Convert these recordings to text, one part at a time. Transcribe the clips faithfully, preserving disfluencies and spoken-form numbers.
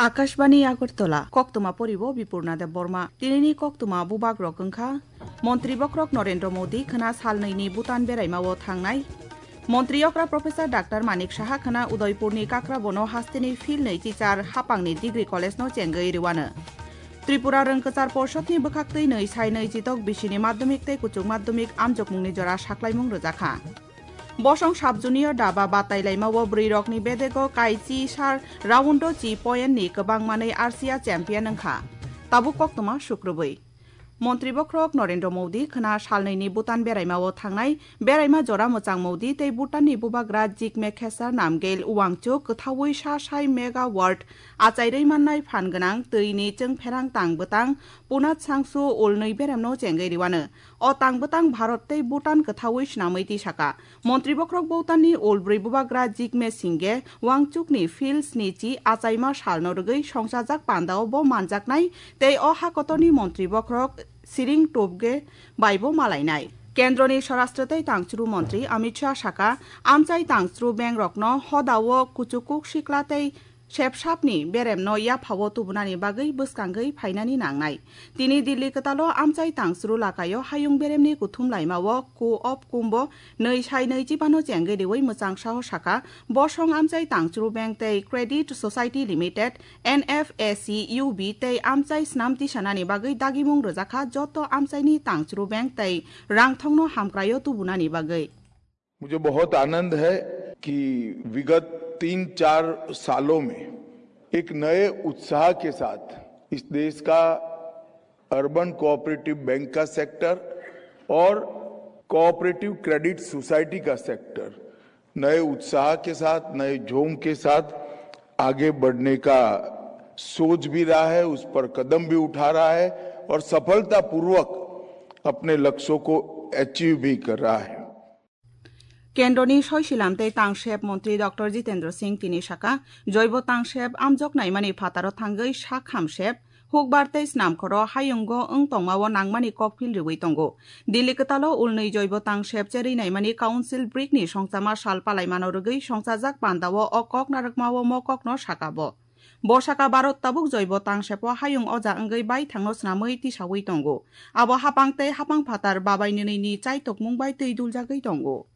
Akashbani Agartala, koktwma poribo Bipurna Debbarma. Tinini koktwma bubagrok wngkha, Montri bokhorok Narendra Modi khwna salnwini Bhutan beraimao thangnai. Montri okra Professor Doctor Manik Saha khwna Udaipurni Kakrabono hasteni phil nwi chichar hapangni degree college-no chengwi rwano. Tripura Rwngkwchar Porshotni bwkhaktwi nwi sai nwi chitok bisini madhyamik tei kuchuk madhyamik amjokmungni jora saklaimung rwjakha. Bosong Sub Junior Daba batai laimao bwrwirokni bedego kaichi sar roundo chi point ni kwbang manwi R C A champion wngkha. Tabuk koktwma sukrubwi. Montri bokhorok Narendra Modi khwna salnwini Bhutan beraimao thangnai, beraima jora mwchang Modi tei Bhutanni bubagra Jigme Khesar Namgyel Wangchuk kwthaui sa sai megawatt achairwi mannai phan gwnang twini chwngpherang tang bwtang Punat Sangsu ulnwi beremno chengwi rwano. O tang bwtang Bharat tei Bhutan kwthaui swnamwi tisaka. Montri bokhorok Bhutanni ulbrwi bubagra Jigme Singye Wangchukni phil sni chi achaima salno rwgwi songchajak pandao bo manjaknai tei o hakotorni montri bokhorok Siring Tobge baibo malainai. Kendroni Swarashtra tei Tangchuru Montri Amit Shah saka, amchai tangchuru bengrokno hodao kuchukuk sikla tei sepsapni beremno yaphao tubunani bagwi bwskangwi phainani nangnai. Tini Delhi kwtalo amchai tangchuru lakaio hayung beremni kuthum laimao Ko-op Kumbho nwi sai nwi chibano chengwi riwi mwchang saho saka, bosong amchai tangchuru bank tei Credit Society Limited, N F A C U B tei amchai snam tisanani bagwi dagimung rwjakha joto amchaini tangchuru bank tei rangthongno hamkraio tubunani bagwi. मुझे बहुत आनंद है कि विगत तीन चार सालों में एक नए उत्साह के साथ इस देश का अर्बन कोऑपरेटिव बैंक का सेक्टर और कोऑपरेटिव क्रेडिट सोसाइटी का सेक्टर नए उत्साह के साथ, नए जोम के साथ आगे बढ़ने का सोच भी रहा है, उस पर कदम भी उठा रहा है और सफलतापूर्वक अपने लक्ष्यों को अचीव भी कर रहा है। Kendroni Soisilam tei Tangsep Montri Doctor Jitendra Singh tini saka, joibo tangsep amjok naimani phataro thangwi sak hamsep, hukbar tei snamkhoro hayungo wng tongmao nangmani kokphil riwi tongo. Delhi kwtalo ulnwi joibo tangsep cherwi naimani Council Brick ni songchama sal palaimano rwgwi songchajak pandao o kok narwkmao mo kokno saka bo. Bo saka Bharat tabuk joibo tangsepo hayung oja wngwi baithangno snamwi tisaui tongo. Abo hapang tei hapang phatar babai nwnwi ni chaitokmung bai twi duljagwi tongo.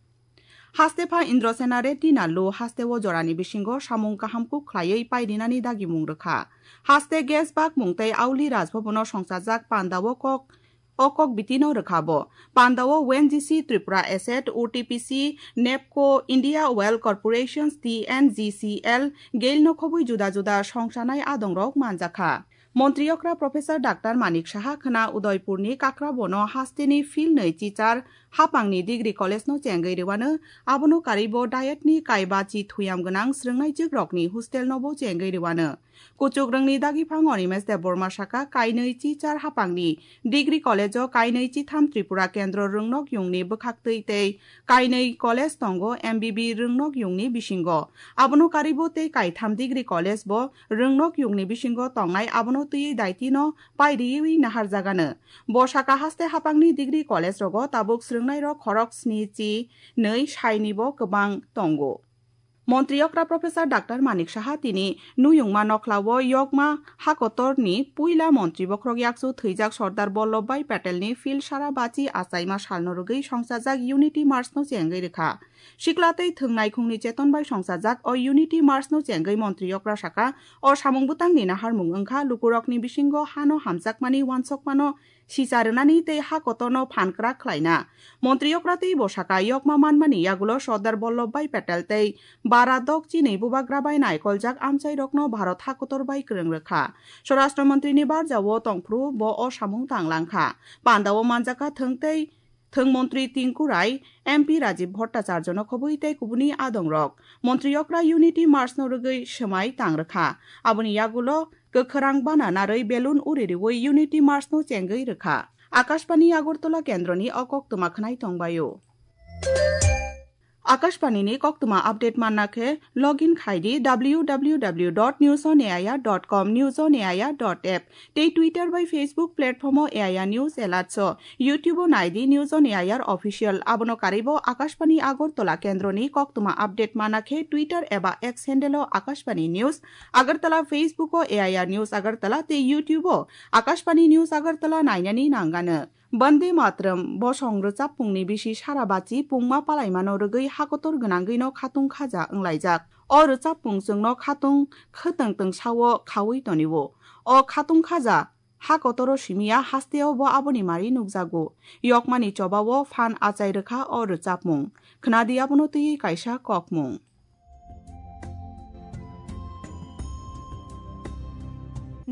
Haste pha Indrasena Reddy Nallu hasteo jorani bisingo samung kaham kuk khlaiwi pairinani dagimung rwkha. Haste gas bakmung tei Auli Rajbhabono songchajak pandao kok O kok bitino rwkha bo. Pandao O N G C Tripura Asset, O T P C, NEEPCO, India Oil Corporations, T N G C L, Gail no khobwi juda juda songsanai adongrok manjakha. Montri okra Professor Doctor Manik Saha khwna Udaipurni Kakrabono hasteni phil nwi chichar hapangni degree college no chengwi rwano, abono karwi bo diet ni kaiba chi thuyam gwnang swrwngnai jwkrokni hostel no bo chengwi rwano. Kuchuk rwngni dagi phang Animesh Debbarma saka, kainwi chichar hapangni degree college o kainwi chitham Tripura Kendro rwngnok yungni bwkhaktwi tei kainwi college tongo M B B rwngnok yungni bisingo. Abono karwi bo tei kaitham degree college bo rwngnok yungni bisingo tongnai, abono twiwi daitino pairiwi naharjagano. Bo saka haste hapangni degree college rogo tabuk swrwngnairok khorok sni chi nwi saini bo kwbang tongo. Montri okra Professor Doctor Manik Saha tini Nuyungma Nokhlao Yokma Hakotorni puila Montri bokhorok yakchu thwijak Sardar Vallabhbhai Patelni field sara bachi achaima salno rwgwi songchajak Unity March no chengwi rwkha. Sikla tei thwng naikhungni cheton bai songchajak o Unity March no chengwi Montri okra saka, o samung bwtangni naharmung wngkha lukurokni bisingo hano hamjakmani uansukmano sisa rwnani tei ha kotorno phan kwrak khlaina. Montri okra tei bo saka, yokma manmani yagulo Sardar Vallabhbhai Patel tei bara dok chinwi bubagra bai naikoljak amchairokno Bharat ha kotor bai kwrwng rwkha. Swarashtra Montri ni barjao tongphuru bo o samung tang langkha. Pandao manjakha thwng tei thwng Montri Tinku Rai, M P Rajiv Bhattacharya no khobwi tei kubuni adongrok. Montri okra Unity March no rwgwi swmai tang rwkha. Aboni yagulo kwkhwrang bana narwi belun uri riwi Unity March no chengwi rwkha. Akashbani Agartala kendroni o koktwma khwnai tongbaio. Akashbani ni koktwma update manna khe login khai di w w w dot news on a i r dot com, news on a i r dot app tei Twitter bai Facebook platform o A I R News Alerts o, YouTube o nai di News on A I R Official. Abono karwi bo Akashbani Agartala kendro ni koktwma update manna khe Twitter eba X handle o Akashbani News Agartala, Facebook o A I R News Agartala tei YouTube o Akashbani News Agartala nainani nangano. Bande Matram bosong rwchapmungni bisi sara bachi pungma palaimano rwgwi hakotor gwnangwino khatung khaja wnglaijak. O rwchapmung chwngno khatung khwtwng twngsao khaui tonio. O khatung khaja hakotoro simiya hasteo bo aboni mari nukjago. Yokmani chobao phan achai rwkha o rwchapmung. Khwnadi abono twiwi kaisa kokmung.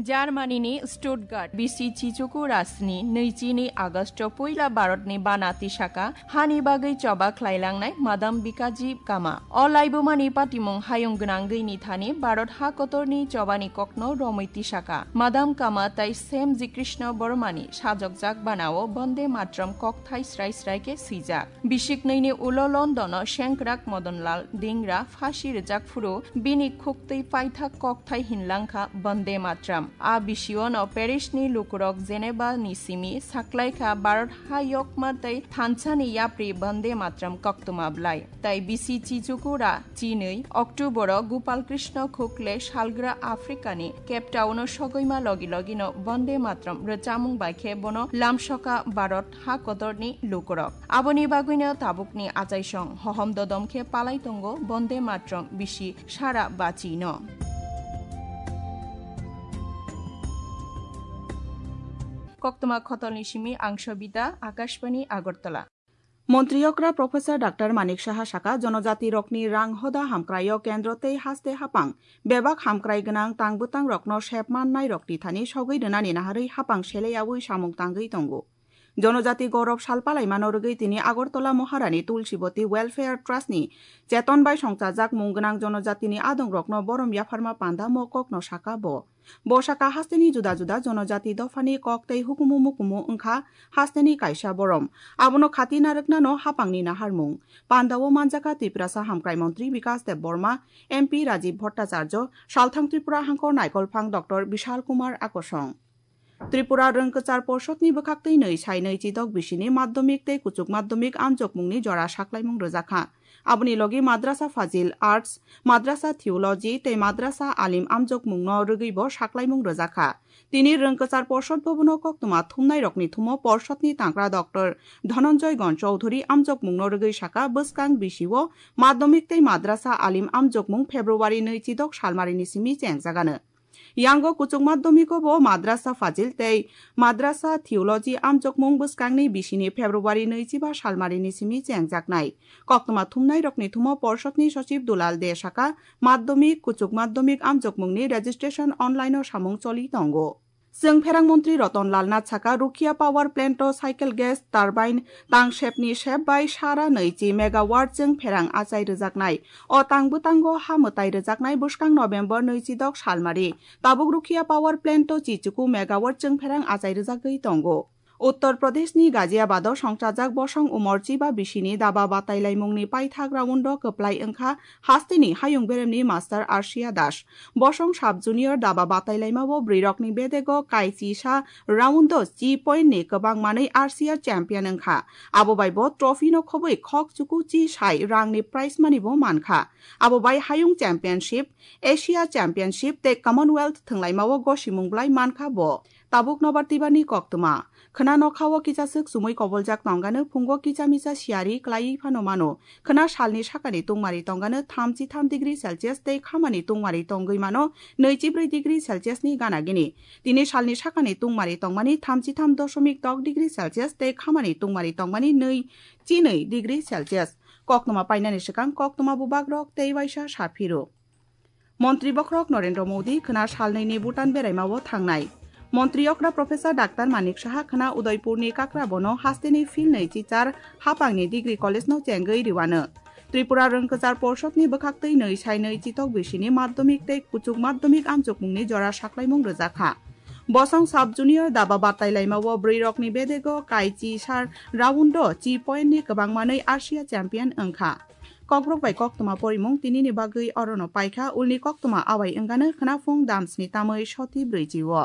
Germany ni Stuttgart bisi Chichuku Rasni nui chini August o puila Bharat ni bana tisaka hani bagwi choba khlailangnai Madam Bikaji Kama. O laibumani patimung hayung gwnangwi ni thani Bharat ha kotorni chobani kokno romwi tisaka. Madam Kama tai Sem Ji Krishna Bormani sajokjak banao Bonde Matram kokthai srai srai khe swijak. Bisiknwini ulo London o sengkrak Modonlal Dingra phasi rwjak phuru bini khuktwi paithak kokthai hinlangkha Bonde Matram. A bisiono Paris ni lukurok Geneva ni simi saklaikha Bharat ha yokma tei thansa ni yapri Bonde Matram koktwma bwlai. Tai bisi Chichukura chinwi October o Gopal Krishna Khukle salgra Africa ni Cape Town o sogwima logi logino Bonde Matram rwchamung bai khe bono lamsoka Bharat ha kotorni lukurok. Aboni bagwino tabukni achaisong hohom dodom khe palai tongo Bonde Matram bisi sara bachino. Koktwma khotolni simi ang Sobita, Akashbani Agartala. Montri okra Professor Doctor Manik Saha saka, jonojati rokni rang hoda hamkraio kendro tei haste hapang bebak hamkrai gwnang tang bwtang rokno sep mannai rokni thani sogwi rwnani naharwi hapang seleyaui samung tangwi tongo. Jonojati Gorop sal palaimano rwgwi tini Agartala Maharani Tulsiboti Welfare Trust ni cheton bai songchajak mung gwnang jonojatini adongrokno borom yapharma panda mokokno saka bo. Bo saka hasteni juda juda jonojati dophani kok tei hukumu mukumu wngkha hasteni kaisa borom. Abono khati narwknano hapangni naharmung. Pandao manjakha Tiprasa hamkrai montri Bikas Deb Borma, M P Rajiv Bhattacharya, salthang Tripura hangkor naikolphang Doctor Bishal Kumar Akosong. Tripura Rwngkwchar Porshotni bwkhaktwi nwi sai nwi chidok bisini madhyamik tei kuchuk madhyamik amjokmungni jora saklaimung rwjakha. Aboni logi Madrasa Fazil Arts, Madrasa Theology tei Madrasa Alim amjokmungno rwgwibo saklaimung rwjakha. Tini Rwngkwchar Porshot Bhabono koktwma thumnairokni thumo porshotni tangkra Doctor Dhananjay Gon Chowdhury amjokmungno rwgwi saka bwskang bisio madhyamik tei Madrasa Alim amjokmung February nwi chidok salmarini simi chengjagano. Yango kuchuk madhyamiko bo Madrasa Fazil tei Madrasa Theology amjokmung bwskangni bisini February nwi chiba salmarini simi chengjaknai. Koktwma thumnairokni thumo porshotni sochib Dulal De saka, madhyamik, kuchuk madhyamik amjokmungni registration online-o samung choli tongo. Chwng pherang montri Roton Lal Nath saka, Rukhia Power Plant-o cycle gas turbine tang sepni sep bai sara nwi chi megawatt chwng pherang achai rwjaknai. O tang bwtango ha mwtai rwjaknai bwskang November nwi chidok salmari. Tabuk Rukhia Power Plant-o chichuku megawatt chwng pherang achai rwjagwi tongo. Uttar Pradeshni Ghaziabad-o songchajak bosong umor chiba bisini daba batailaimungni paithak round-o kwplai wngkha hasteni hayung beremni master Arshia Das. Bosong sub junior daba batailaimao bwrwirokni bedego kai chisa round-o chi point-ni kwbang manwi Arshia champion wngkha. Abo bai bo trophy-no khobwi khok chuku chi sai rangni prize money-bo mankha. Abo bai hayung championship, Asia Championship tei Commonwealth thwnglaimao gosimung bwlai mankha bo. Tabuk nobar twibani koktwma. Khwna nokhao kisa swk chumui koboljak tongano, phungo kicha misa siyari klaiwi phano mano. Khwna salni sakani tungmari tongano thamchi tham degree Celsius tei khamani tungmari tongwi mano nwichi brwi degree Celsius ni gana gini. Tini salni sakani tungmari tongmani thamchi tham dosomik tok degree Celsius tei khamani tungmari tongmani nwi chi nwi degree Celsius. Koktwma painani swkang koktwma bubagrok tei waisa saphiro. Montri bokhorok Narendra Modi khwna salnwini Bhutan beraimao thangnai. Montri okra Professor Doctor Manik Saha khwna Udaipurni Kakrabono hasteni philnwi chichar hapangni degree college-no chengwi rwano. Tripura Rwngkwchar Porshotni bwkhaktwi nwi sai nwi chitok bisini madhyamik tei kuchuk madhyamik amjokmungni jora saklaimung rwjakha. Bosong sub junior daba batailaimao bwrwirokni bedego kai chi sar round-o chi point-ni kwbang manwi Asia champion wngkha. Kokborok bai koktwma porimung tinini bagwi orono paikha, ulni koktwma awai wngano khwnaphung damsni tamwi soti brwichi o.